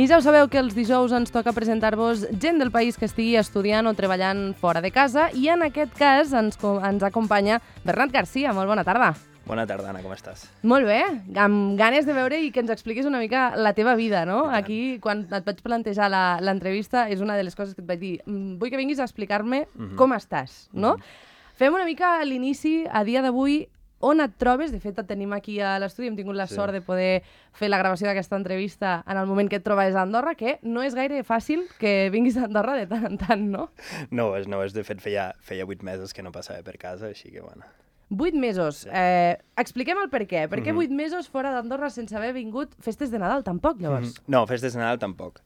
I ja ho sabeu que els dijous ens toca presentar-vos gent del país que estigui estudiant o treballant fora de casa i en aquest cas ens acompanya Bernat Garcia. Molt bona tarda. Bona tarda, Anna, com estàs? Molt bé, amb ganes de veure i que ens expliquis una mica la teva vida, no? Aquí, quan et vaig plantejar l'entrevista, és una de les coses que et vaig dir. Vull que vinguis a explicar-me com estàs, no? Fem una mica l'inici, a dia d'avui, on et trobes. De fet, et tenim aquí a l'estudi, hem tingut la sort de poder fer la gravació d'aquesta entrevista en el moment que et trobaves a Andorra, que no és gaire fàcil que vinguis a Andorra de tant en tant, no? No és. De fet, feia 8 mesos que no passava per casa, així que, bueno... 8 mesos. Expliquem el per què. Per què 8 mesos fora d'Andorra sense haver vingut festes de Nadal, tampoc, llavors? No, festes de Nadal tampoc.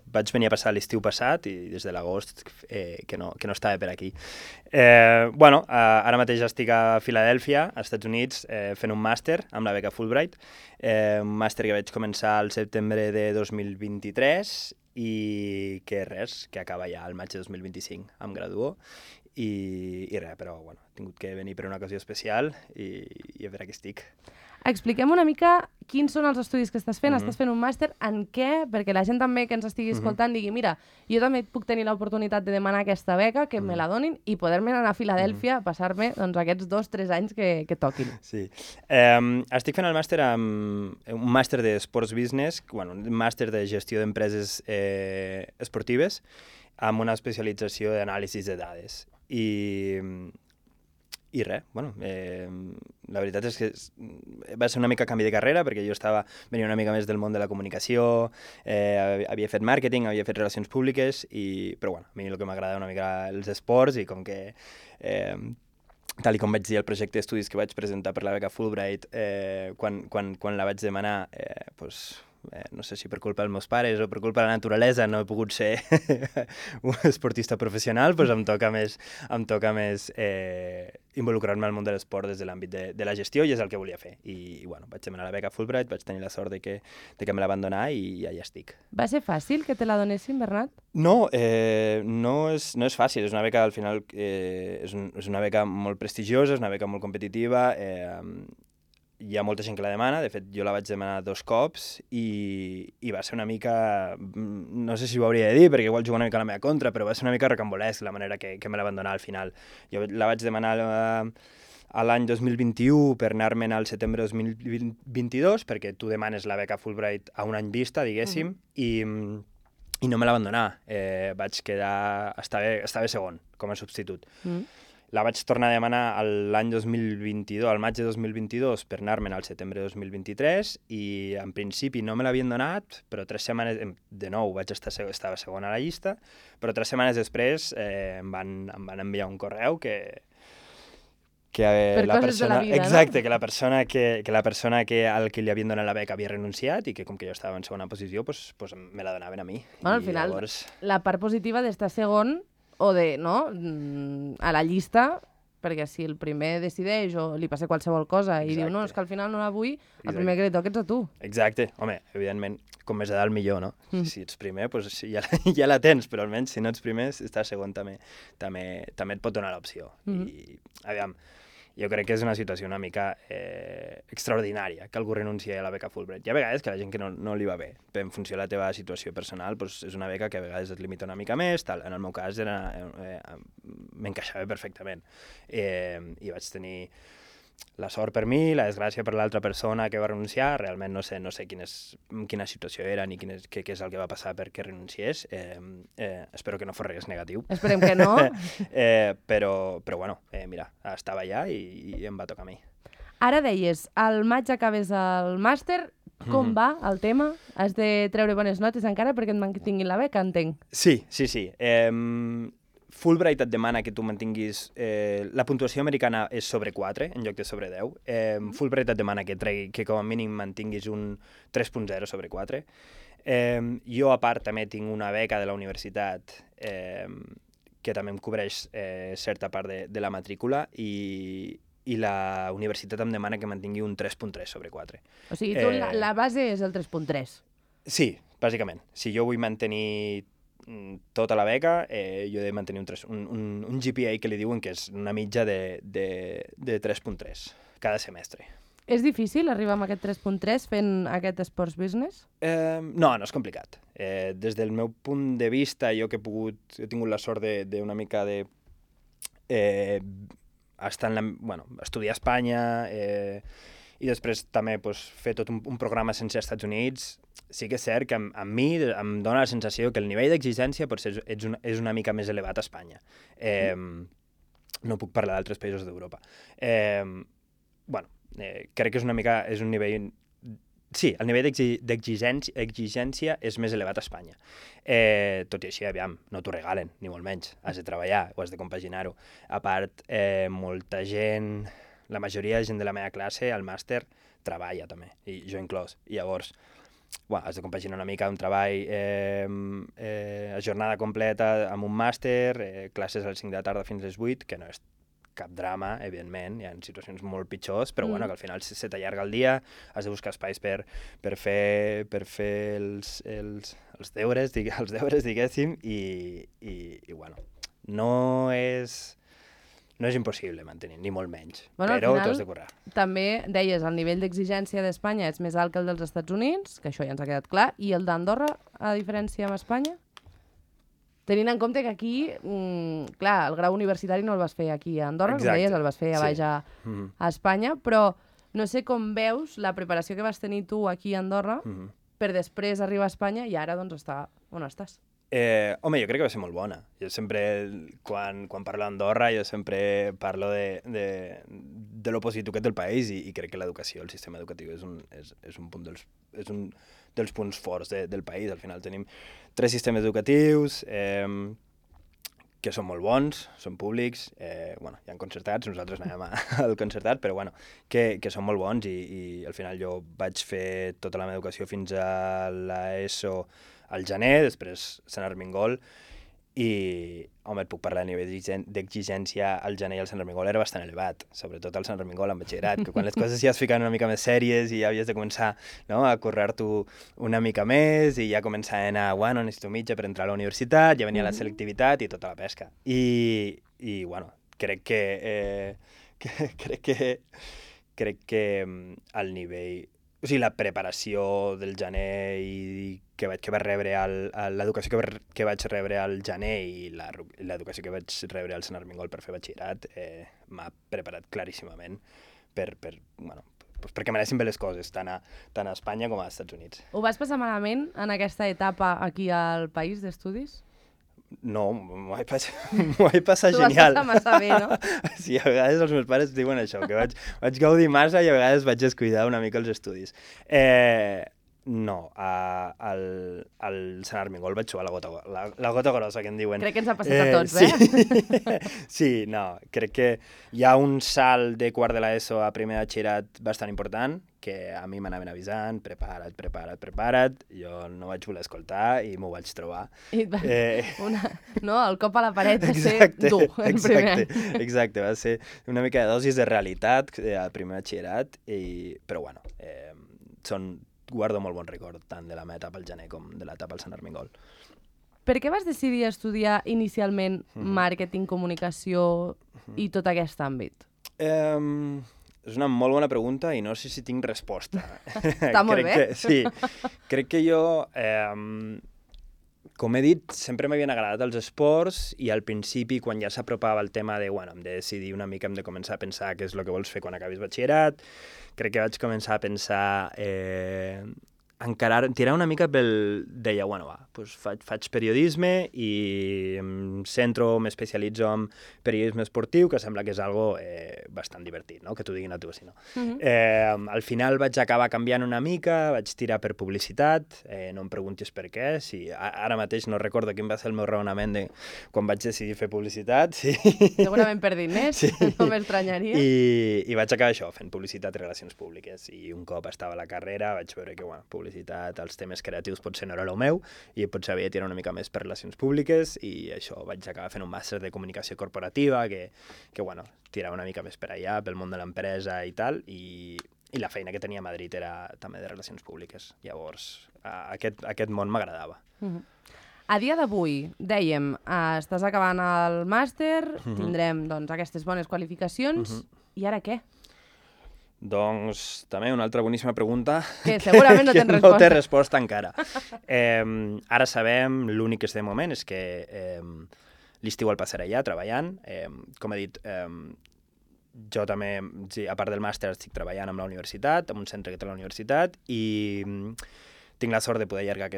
Vaig venir a passar l'estiu passat i des de l'agost que no estava per aquí. Ara mateix estic a Filadèlfia, als Estats Units, fent un màster amb la beca Fulbright, un màster que vaig començar al setembre de 2023 i que acaba ja al maig de 2025, em graduo. I res, però bueno, he tingut que venir per una ocasió especial i a veure què estic. Expliquem una mica quins són els estudis que estàs fent. Estàs fent un màster en què? Perquè la gent també que ens estigui escoltant digui mira, jo també puc tenir l'oportunitat de demanar aquesta beca, que me la donin i poder-me anar a Filadèlfia a passar-me aquests 2-3 anys que toquin. Sí. Estic fent el màster un màster de Sports Business, un màster de gestió d'empreses esportives amb una especialització d'anàlisi de dades. I res, la veritat és que va ser una mica canvi de carrera perquè jo venia una mica més del món de la comunicació, havia fet màrqueting, havia fet relacions públiques, però a mi el que m'agrada una mica els esports i com que, tal com vaig dir al projecte d'estudis que vaig presentar per la beca Fulbright, quan la vaig demanar, no sé si per culpa dels meus pares o per culpa de la naturalesa no he pogut ser un esportista professional, doncs em toca més involucrar-me al món de l'esport des de l'àmbit de la gestió i és el que volia fer. I vaig demanar la beca Fulbright, vaig tenir la sort de que me la van donar i allà estic. Va ser fàcil que te la donessin, Bernat? No, no és fàcil. És una beca, al final, és una beca molt prestigiosa, és una beca molt competitiva, hi ha molta gent que la demana. De fet, jo la vaig demanar 2 cops i va ser una mica, no sé si ho hauria de dir perquè igual juga una mica a la meva contra, però va ser una mica rocambolesc la manera que me la van donar al final. Jo la vaig demanar a l'any 2021 per anar-me'n al setembre 2022 perquè tu demanes la beca Fulbright a un any vista, diguéssim, i no me la van donar. Estava segon com a substitut. La vaig tornar a demanar l'any 2022, al maig de 2022, per anar-me'n al setembre de 2023 i en principi no me l'havien donat, però 3 setmanes, de nou estava segon a la llista, però 3 setmanes després em van enviar un correu que la persona, exacte, que la persona al que li havien donat la beca havia renunciat i que com que jo estava en segona posició, doncs me la donaven a mi. Al final, la part positiva d'estar segon o a la llista, perquè si el primer decideix o li passa qualsevol cosa i diu no, és que al final no la vull, el primer que li toca ets a tu. Exacte. Home, evidentment, com més a dalt millor, no? Si ets primer, doncs ja la tens, però almenys si no ets primer, estar segon també et pot donar l'opció. I, aviam, jo crec que és una situació una mica extraordinària que algú renunciï a la beca Fulbright. Hi ha vegades que la gent que no li va bé, en funció de la teva situació personal, doncs és una beca que a vegades et limita una mica més, tal. En el meu cas m'encaixava perfectament. I vaig tenir la sort per mi, la desgràcia per l'altra persona que va renunciar. Realment no sé quina situació era ni què és el que va passar perquè renunciés. Espero que no fos res negatiu. Esperem que no. Però bueno, mira, estava allà i em va tocar a mi. Ara deies, al maig acabes el màster. Com va el tema? Has de treure bones notes encara perquè et mantinguin la beca, entenc. Sí. Fulbright et demana que tu mantinguis... la puntuació americana és sobre 4 en lloc de sobre 10. Fulbright et demana que com a mínim mantinguis un 3.0 sobre 4. Jo, a part, també tinc una beca de la universitat que també em cobreix certa part de la matrícula i la universitat em demana que mantingui un 3.3 sobre 4. O sigui, tu la base és el 3.3. Sí, bàsicament. Si jo vull mantenir tota la beca, jo he de mantenir un GPA que li diuen que és una mitja de 3.3 cada semestre. És difícil arribar amb aquest 3.3 fent aquest Sports Business? No, no és complicat. Des del meu punt de vista, he tingut la sort d'una mica de estudiar a Espanya i després també fer tot un programa sense als Estats Units. Sí que és cert que a mi em dóna la sensació que el nivell d'exigència potser és una mica més elevat a Espanya. No puc parlar d'altres països d'Europa. Crec que és un nivell... Sí, el nivell d'exigència és més elevat a Espanya. Tot i així, aviam, no t'ho regalen, ni molt menys. Has de treballar o has de compaginar-ho. A part, molta gent, la majoria de gent de la meva classe, al màster, treballa també, i jo inclòs. I llavors, has de compaginar una mica un treball a jornada completa amb un màster, classes a les 5 de la tarda fins a les 8, que no és cap drama, evidentment, hi ha situacions molt pitjors, però que al final se t'allarga el dia, has de buscar espais per fer els deures, diguéssim, i no és impossible mantenir, ni molt menys, però t'ho has de currar. També deies, el nivell d'exigència d'Espanya és més alt que el dels Estats Units, que això ja ens ha quedat clar, i el d'Andorra, a diferència amb Espanya? Tenint en compte que aquí, clar, el grau universitari no el vas fer aquí a Andorra, com deies, el vas fer a baix a Espanya, però no sé com veus la preparació que vas tenir tu aquí a Andorra per després arribar a Espanya i ara doncs estar on estàs. Home, jo crec que va ser molt bona. Jo sempre, quan parlo d'Andorra, jo sempre parlo de lo positiu que té el país i crec que l'educació, el sistema educatiu és un dels punts forts del país. Al final tenim 3 sistemes educatius que són molt bons, són públics, hi ha concertats, nosaltres anàvem al concertat, però que són molt bons i al final jo vaig fer tota la meva educació fins a l'ESO al gener, després Sant Armengol, i, home, et puc parlar a nivell d'exigència al gener i al Sant Armengol era bastant elevat, sobretot al Sant Armengol en batxillerat, que quan les coses ja es ficaven una mica més sèries i ja havies de començar a currar-t'ho una mica més i ja començar a anar, necessito mitja per entrar a la universitat, ja venia la selectivitat i tota la pesca. I crec que el nivell... O sigui, la preparació del gener i que vaig rebre l'educació que vaig rebre al gener i l'educació que vaig rebre al Sant Armengol per fer batxillerat m'ha preparat claríssimament perquè m'anessin bé les coses, tant a Espanya com als Estats Units. Ho vas passar malament en aquesta etapa aquí al país d'estudis? No, m'ho vaig passar genial. T'ho vas passar massa bé, no? Sí, a vegades els meus pares diuen això, que vaig gaudir massa i a vegades vaig descuidar una mica els estudis. No, al Sant Armengol vaig suar la gota grossa, que en diuen. Crec que ens ha passat a tots, eh? Sí, no, crec que hi ha un salt de quart de l'ESO a primer de batxillerat bastant important, que a mi m'anaven avisant, prepara't, jo no vaig voler escoltar i m'ho vaig trobar. No, el cop a la paret va ser dur, el primer any. Exacte, va ser una mica de dosis de realitat al primer batxillerat, però guardo molt bon record tant de la meva etapa al gener com de l'etapa al Sant Armengol. Per què vas decidir estudiar inicialment màrqueting, comunicació i tot aquest àmbit? És una molt bona pregunta i no sé si tinc resposta. Està molt bé. Sí, crec que jo, com he dit, sempre m'havien agradat els esports i al principi, quan ja s'apropava el tema de, hem de decidir una mica, hem de començar a pensar què és el que vols fer quan acabis batxillerat, crec que vaig començar a pensar tirar una mica deia, faig periodisme i em centro, m'especialitzo en periodisme esportiu, que sembla que és algo bastant divertit, no? Que t'ho diguin a tu, si no. Al final vaig acabar canviant una mica, vaig tirar per publicitat, no em preguntis per què, ara mateix no recordo quin va ser el meu raonament de quan vaig decidir fer publicitat. Segurament per diners, no m'estranyaria. I vaig acabar això, fent publicitat i relacions públiques, i un cop estava a la carrera vaig veure que, publicitat, els temes creatius potser no era el meu i potser havia de tirar una mica més per relacions públiques i això vaig acabar fent un màster de comunicació corporativa que tirava una mica més per allà, pel món de l'empresa i tal, i la feina que tenia a Madrid era també de relacions públiques. Llavors, aquest món m'agradava. A dia d'avui, dèiem, estàs acabant el màster, tindrem aquestes bones qualificacions, i ara què? Doncs també una altra boníssima pregunta Que segurament no que tens no resposta. té resposta encara. Ara sabem, l'únic que sé de moment és que l'estiu el passaré allà treballant. Com he dit, jo també, sí, a part del màster, estic treballant amb la universitat, amb un centre que té la universitat, i tinc la sort de poder allargar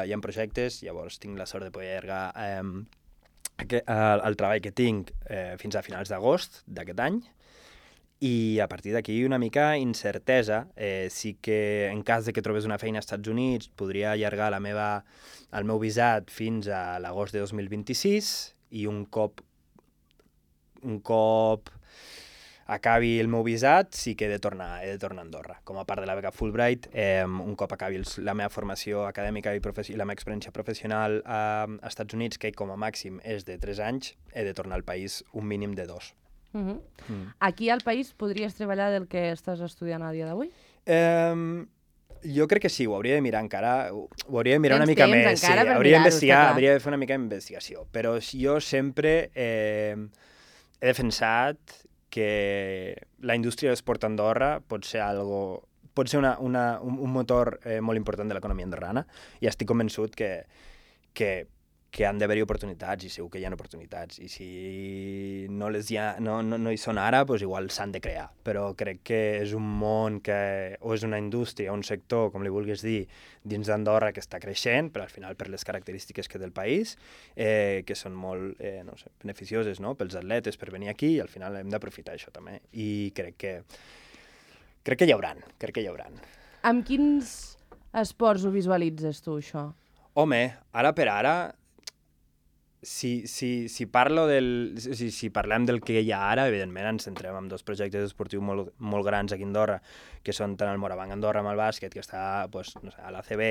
hi ha projectes, llavors tinc la sort de poder allargar el treball que tinc fins a finals d'agost d'aquest any, i a partir d'aquí una mica incertesa. Sí que en cas de que trobés una feina als Estats Units podria allargar el meu visat fins a l'agost de 2026 i un cop acabi el meu visat sí que he de tornar a Andorra. Com a part de la beca Fulbright, un cop acabi la meva formació acadèmica i la meva experiència professional als Estats Units, que com a màxim és de 3 anys, he de tornar al país un mínim de 2. Aquí al país podries treballar del que estàs estudiant a dia d'avui? Jo crec que sí, ho hauria de mirar encara, ho hauria de mirar Tens una mica temps més, encara per hauria mirar-ho, està clar. de fer una mica d'investigació, però jo sempre he defensat que la indústria d'esport a Andorra pot ser un motor molt important de l'economia andorrana, i estic convençut que han d'haver-hi oportunitats, i segur que hi ha oportunitats, i si no hi són ara, doncs igual s'han de crear, però crec que és un món o és una indústria, un sector, com li vulguis dir, dins d'Andorra que està creixent, però al final per les característiques que té el país, que són molt beneficioses, no?, pels atletes per venir aquí, i al final hem d'aprofitar això també, i crec que hi hauran. Amb quins esports ho visualitzes tu, això? Home, ara per ara, si parlem del que hi ha ara, evidentment ens centrem en 2 projectes esportius molt grans aquí a Andorra, que són tant el Morabanc Andorra amb el bàsquet, que està a l'ACB,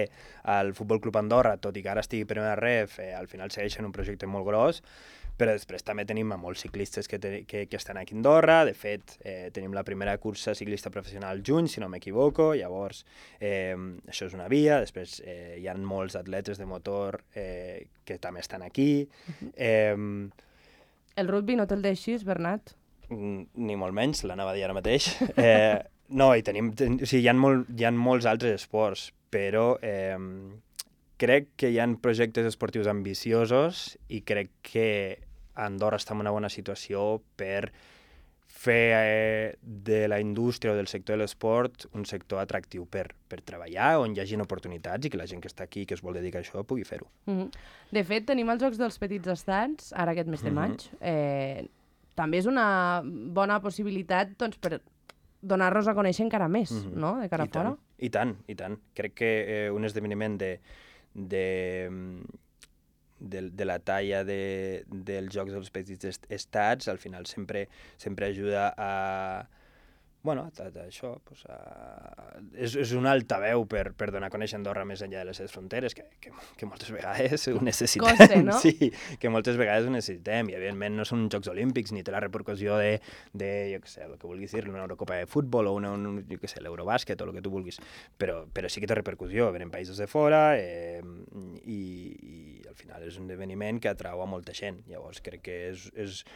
al Futbol Club Andorra, tot i que ara estigui a primera ref, al final segueixen un projecte molt gros, però després també tenim molts ciclistes que estan aquí a Andorra. De fet, tenim la primera cursa ciclista professional al juny, si no m'equivoco, llavors això és una via. Després hi ha molts atletes de motor que també estan aquí. El rugby no te'l deixis, Bernat? Ni molt menys, l'anava a dir ara mateix. No, hi ha molts altres esports, però crec que hi ha projectes esportius ambiciosos i crec que Andorra està en una bona situació per fer de la indústria o del sector de l'esport un sector atractiu per treballar, on hi hagi oportunitats i que la gent que està aquí, que es vol dedicar a això, pugui fer-ho. De fet, tenim els Jocs dels Petits Estats, ara aquest mes de maig. També és una bona possibilitat per donar-nos a conèixer encara més, no?, de cara a fora. I tant. Crec que un esdeveniment de la talla dels Jocs dels Petits Estats al final sempre ajuda a això, és un altaveu per donar a conèixer Andorra més enllà de les seves fronteres, que moltes vegades ho necessitem. Costa, no? Sí, que moltes vegades ho necessitem, i evidentment no són uns Jocs Olímpics ni té la repercussió de jo què sé, el que vulguis dir, una Eurocopa de futbol o jo què sé, l'Eurobàsquet o el que tu vulguis, però sí que té repercussió, venen països de fora, i al final és un esdeveniment que atrau a molta gent. Llavors crec que és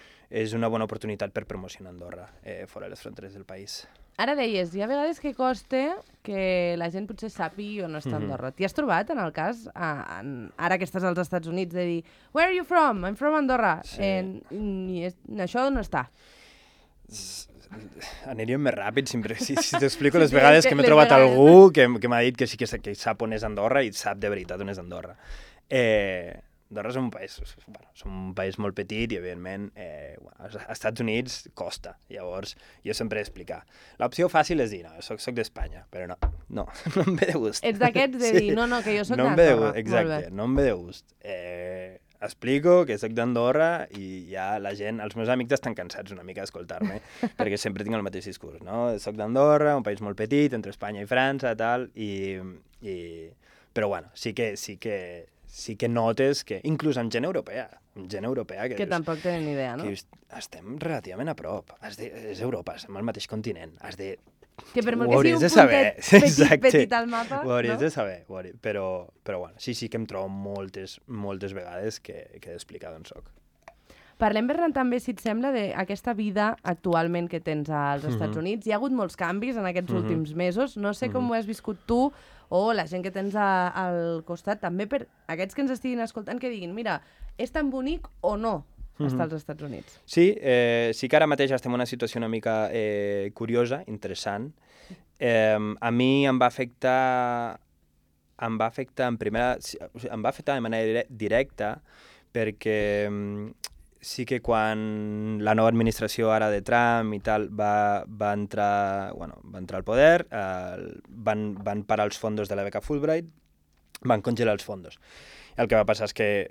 una bona oportunitat per promocionar Andorra fora de les fronteres del país. Ara deies, hi ha vegades que costa que la gent potser sàpiga on està Andorra. T'hi has trobat, en el cas, ara que estàs als Estats Units, de dir "Where are you from? I'm from Andorra." I això on està? Aniríem més ràpid, si t'explico les vegades que m'he trobat algú que m'ha dit que sí que sap on és Andorra i sap de veritat on és Andorra. Andorra és un país molt petit i, evidentment, als Estats Units costa. Llavors, jo sempre he d'explicar. L'opció fàcil és dir, no, soc d'Espanya, però no em ve de gust. Ets d'aquests de dir, no, que jo soc d'Andorra. Exacte, no em ve de gust. Explico que soc d'Andorra i ja la gent, els meus amics estan cansats una mica d'escoltar-me, perquè sempre tinc el mateix discurs, no? Soc d'Andorra, un país molt petit, entre Espanya i França, tal, però bueno, sí que notes que, inclús amb gent europea que tampoc tenen idea, no? Que estem relativament a prop. És Europa, estem al mateix continent. Que per molt ho que sigui hauries un de saber. puntet petit al mapa, ho hauries de saber. Però bueno, sí que em trobo moltes vegades que he d'explicar d'on soc. Parlem, Bernat, també, si et sembla, d'aquesta vida actualment que tens als Estats Units. Hi ha hagut molts canvis en aquests últims mesos. No sé com ho has viscut tu o la gent que tens al costat, també per aquests que ens estiguin escoltant, que diguin, mira, és tan bonic o no estar als Estats Units? Sí, sí que ara mateix estem en una situació una mica curiosa, interessant. A mi em va afectar de manera directa perquè sí que quan la nova administració ara de Trump i tal va entrar al poder, van parar els fons de la beca Fulbright, van congelar els fons. El que va passar és que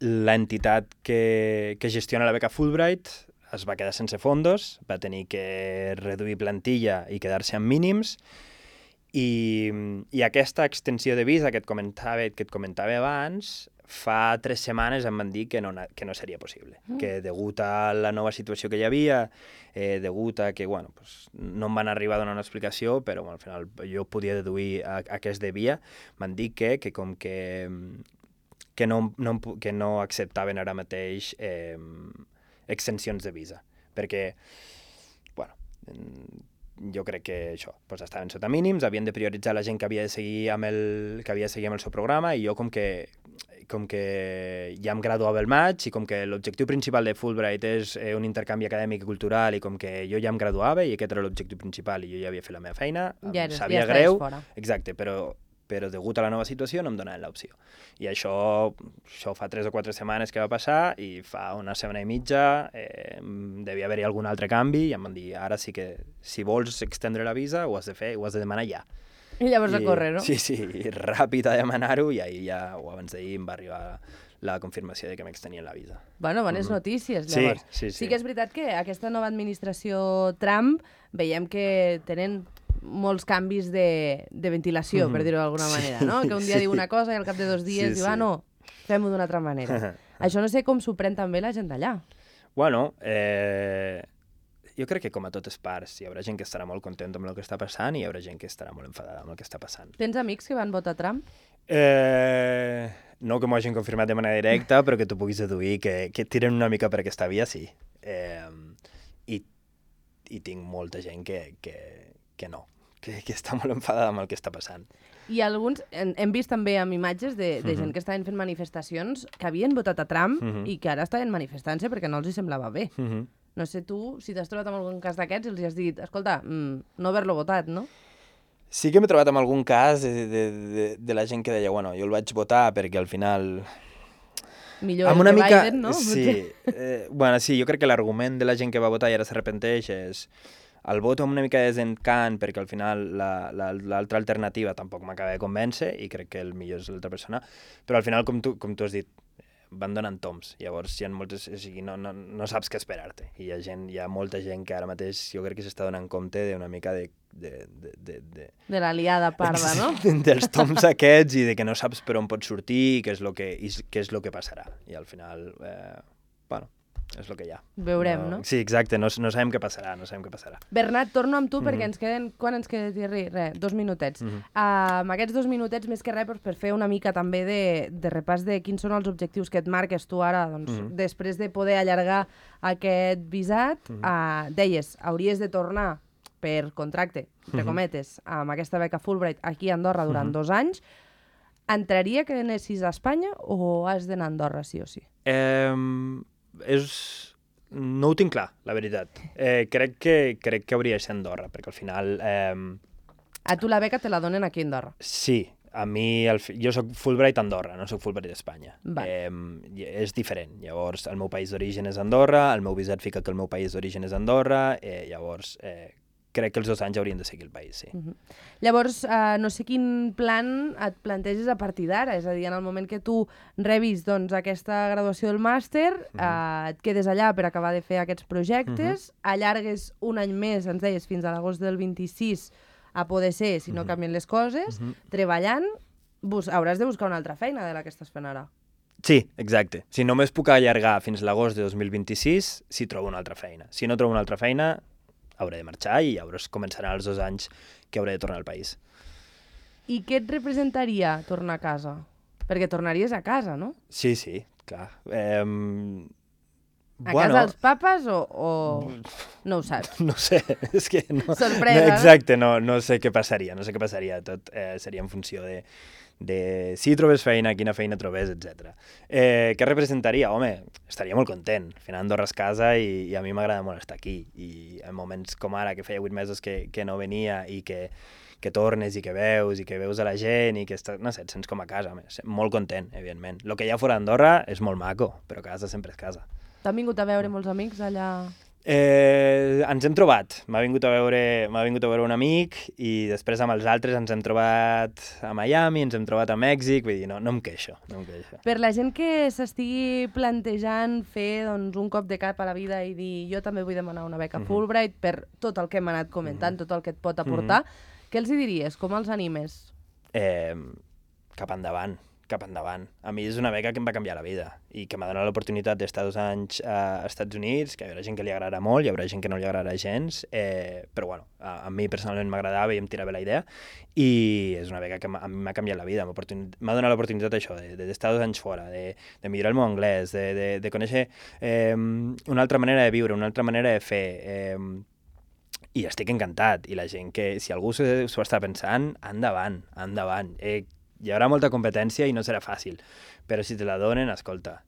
l'entitat que gestiona la beca Fulbright es va quedar sense fons, va tenir que reduir plantilla i quedar-se amb mínims, i aquesta extensió de visa que et comentava abans, fa 3 setmanes em van dir que no seria possible, que degut a la nova situació que hi havia, degut a que no em van arribar a donar una explicació, però al final jo podia deduir a què es devia, m'han dit que com que no acceptaven ara mateix extensions de visa, perquè jo crec que això, estaven sota mínims, havien de prioritzar la gent que havia de seguir amb el seu programa, i jo com que ja em graduava el maig, i com que l'objectiu principal de Fulbright és un intercanvi acadèmic i cultural, i com que jo ja em graduava i aquest era l'objectiu principal i jo ja havia fet la meva feina, sabia greu, exacte, però degut a la nova situació no em donaven l'opció. I això fa 3 o 4 setmanes que va passar, i fa una setmana i mitja devia haver-hi algun altre canvi, i em van dir, ara sí que si vols extendre la visa ho has de fer, ho has de demanar ja. I llavors a córrer, no? Sí, i ràpid a demanar-ho, i ahir ja, o abans d'ahir, em va arribar la confirmació de que m'extenien la visa. Bueno, bones notícies, llavors. Sí que és veritat que aquesta nova administració Trump veiem que tenen molts canvis de ventilació, per dir-ho d'alguna manera, no? Que un dia diu una cosa i al cap de 2 dies diu, no, fem-ho d'una altra manera. Això no sé com s'ho pren també la gent d'allà. Bueno, jo crec que com a totes parts hi haurà gent que estarà molt contenta amb el que està passant i hi haurà gent que estarà molt enfadada amb el que està passant. Tens amics que van votar Trump? No que m'ho hagin confirmat de manera directa, però que tu puguis deduir que tiren una mica per aquesta via, sí. I tinc molta gent que no, que està molt enfadada amb el que està passant. I alguns, hem vist també amb imatges de gent que estaven fent manifestacions que havien votat a Trump i que ara estaven manifestant-se perquè no els hi semblava bé. No sé tu, si t'has trobat amb algun cas d'aquests i els has dit, escolta, no haver-lo votat, no? Sí que m'he trobat amb algun cas de la gent que deia, bueno, jo el vaig votar perquè al final... Millor que Biden, no? Sí, sí, jo crec que l'argument de la gent que va votar i ara s'arrepenteix és el vot amb una mica de desencant perquè al final l'altra alternativa tampoc m'acaba de convèncer i crec que el millor és l'altra persona, però al final, com tu has dit, van donant toms, llavors hi ha moltes, o sigui, no saps què esperar-te, i hi ha molta gent que ara mateix jo crec que s'està donant compte d'una mica de la liada parda, no? Dels toms aquests i de que no saps per on pots sortir i què és el que passarà, i al final, bueno, és el que hi ha. Veurem, no? Sí, exacte, no sabem què passarà, Bernat, torno amb tu perquè ens queden... Quan ens queda, Thierry? 2 minutets. Amb aquests 2 minutets, més que res, per fer una mica també de repàs de quins són els objectius que et marques tu ara, doncs, després de poder allargar aquest visat, deies, hauries de tornar per contracte, entre cometes, amb aquesta beca Fulbright aquí a Andorra durant 2 anys. Entraria que anessis a Espanya o has d'anar a Andorra sí o sí? No ho tinc clar, la veritat. Crec que hauria de ser Andorra, perquè al final... A tu la beca te la donen aquí a Andorra? Sí, a mi... Jo soc Fulbright Andorra, no soc Fulbright Espanya. És diferent. Llavors, el meu país d'origen és Andorra, el meu visat fica que el meu país d'origen és Andorra, llavors... crec que els 2 anys haurien de seguir el país, sí. Llavors, no sé quin plan et planteges a partir d'ara, és a dir, en el moment que tu rebis doncs, aquesta graduació del màster, et quedes allà per acabar de fer aquests projectes, allargues un any més, ens deies, fins a l'agost del 26, a poder ser, si no canvien les coses, treballant, hauràs de buscar una altra feina de la que estàs fent ara. Sí, exacte. Si només puc allargar fins a l'agost de 2026, si trobo una altra feina. Si no trobo una altra feina, hauré de marxar i llavors començaran els 2 anys que hauré de tornar al país. I què et representaria tornar a casa? Perquè tornaries a casa, no? Sí, Clar. A casa dels papes o... No ho saps? No sé, és que no... Sorpresa. Exacte, no sé què passaria, tot seria en funció de si trobes feina, quina feina trobes, etc. Què representaria? Home, estaria molt content. Al final Andorra és casa i a mi m'agrada molt estar aquí. I en moments com ara, que feia 8 mesos que no venia i que tornes i que veus a la gent i que no sé, et sents com a casa. Molt content, evidentment. El que hi ha fora d'Andorra és molt maco, però casa sempre és casa. T'han vingut a veure molts amics allà? Ens hem trobat. M'ha vingut a veure un amic i després amb els altres ens hem trobat a Miami, ens hem trobat a Mèxic, vull dir, no em queixo. Per la gent que s'estigui plantejant fer doncs, un cop de cap a la vida i dir jo també vull demanar una beca Fulbright per tot el que hem anat comentant, tot el que et pot aportar, què els hi diries? Com els animes? Cap endavant. A mi és una beca que em va canviar la vida i que m'ha donat l'oportunitat d'estar 2 anys als Estats Units, que hi haurà gent que li agradarà molt, hi haurà gent que no li agradarà gens, però bueno, a mi personalment m'agradava i em tirava la idea i és una beca que a mi m'ha canviat la vida, m'ha donat l'oportunitat això, d'estar 2 anys fora, de millorar el meu anglès, de conèixer una altra manera de viure, una altra manera de fer, i estic encantat, i la gent que, si algú s'ho està pensant, endavant. Hi haurà molta competència i no serà fàcil, però si te la donen, escolta,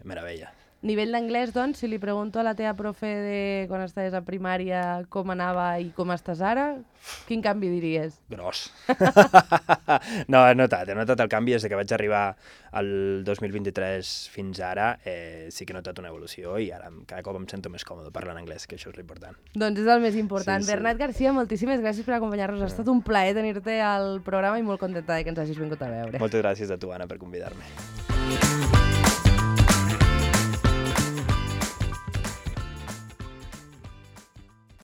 meravella. Nivell d'anglès, doncs, si li pregunto a la teva profe de quan estaves a primària com anava i com estàs ara, quin canvi diries? Gros. No, he notat el canvi des que vaig arribar al 2023 fins ara, sí que he notat una evolució i ara cada cop em sento més còmode parlant anglès, que això és l'important. Doncs és el més important. Sí. Bernat Garcia, moltíssimes gràcies per acompanyar-nos. Ha estat un plaer tenir-te al programa i molt contenta que ens hagis vingut a veure. Moltes gràcies a tu, Anna, per convidar-me.